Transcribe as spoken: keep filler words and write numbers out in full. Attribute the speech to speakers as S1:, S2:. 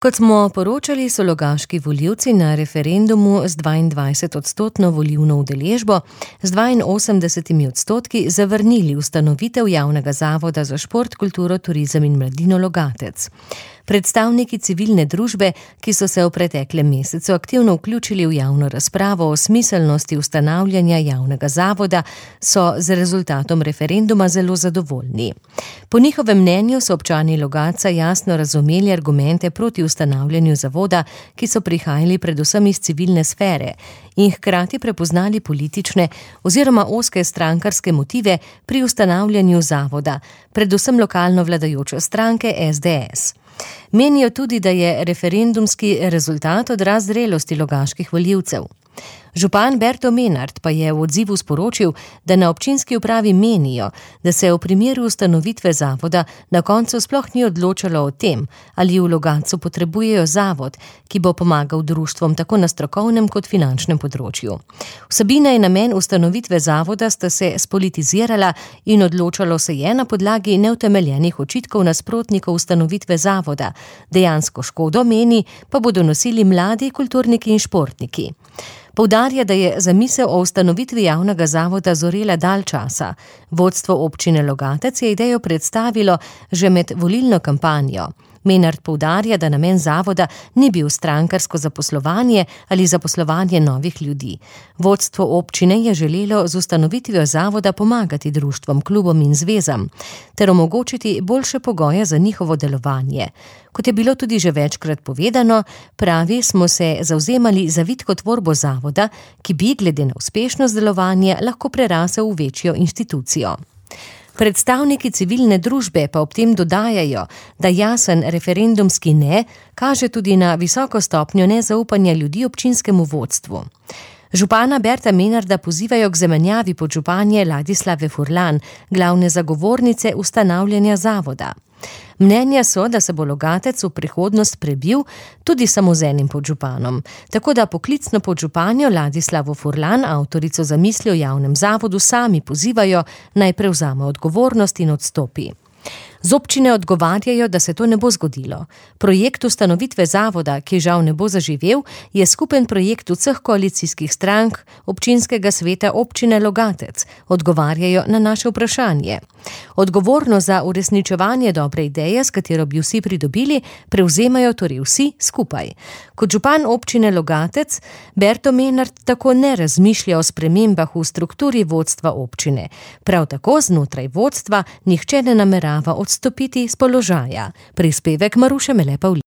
S1: Kot smo poročali, so logaški volivci na referendumu z dvaindvajsetodstotno volilno udeležbo z dvainosemdesetimi odstotki zavrnili ustanovitev javnega zavoda za šport, kulturo, turizem in mladino Logatec. Predstavniki civilne družbe, ki so se v preteklem mesecu aktivno vključili v javno razpravo o smiselnosti ustanavljanja javnega zavoda, so z rezultatom referenduma zelo zadovoljni. Po njihovem mnenju so občani Logatca jasno razumeli argumente proti ustanavljanju zavoda, ki so prihajali predvsem iz civilne sfere, in hkrati prepoznali politične oziroma ozke strankarske motive pri ustanavljanju zavoda, predvsem lokalno vladajoče stranke es de es. Menijo tudi, da je referendumski rezultat odraz zrelosti logaških volivcev. Župan Berto Menard pa je v odzivu sporočil, da na občinski upravi menijo, da se v primeru ustanovitve zavoda na koncu sploh ni odločalo o tem, ali v Logatcu potrebujejo zavod, ki bo pomagal društvom tako na strokovnem kot finančnem področju. Vsebina in namen ustanovitve zavoda sta se spolitizirala in odločalo se je na podlagi neutemeljenih očitkov nasprotnikov ustanovitve zavoda. Dejansko škodo, meni, pa bodo nosili mladi kulturniki in športniki. Poudarja, da je zamisel o ustanovitvi javnega zavoda zorela dalj časa. Vodstvo občine Logatec je idejo predstavilo že med volilno kampanjo. Menard poudarja, da namen zavoda ni bil strankarsko zaposlovanje ali zaposlovanje novih ljudi. Vodstvo občine je želelo z ustanovitvijo zavoda pomagati društvom, klubom in zvezam ter omogočiti boljše pogoje za njihovo delovanje. Kot je bilo tudi že večkrat povedano, pravi, smo se zavzemali za vitko tvorbo zavoda, ki bi glede na uspešnost delovanja lahko prerasel v večjo institucijo. Predstavniki civilne družbe pa ob tem dodajajo, da jasen referendumski ne kaže tudi na visoko stopnjo nezaupanja ljudi občinskemu vodstvu. Župana Berta Menarda pozivajo k zamenjavi podžupanje Ladislave Furlan, glavne zagovornice ustanavljanja zavoda. Mnenja so, da se bo Logatec v prihodnost prebil tudi samo z enim podžupanom, tako da poklicno podžupanjo Ladislavo Furlan, avtorico zamisli o javnem zavodu, sami pozivajo, naj prevzame odgovornost in odstopi. Z občine odgovarjajo, da se to ne bo zgodilo. Projekt ustanovitve zavoda, ki žal ne bo zaživel, je skupen projekt vseh koalicijskih strank občinskega sveta občine Logatec, odgovarjajo na naše vprašanje. Odgovornost za uresničevanje dobre ideje, s katero bi vsi pridobili, prevzemajo torej vsi skupaj. Kot župan občine Logatec, Berto Menard tako ne razmišlja o spremembah v strukturi vodstva občine. Prav tako znotraj vodstva nihče ne namerava odstopiti z položaja. Prispevek Maruše Mele Pavlin.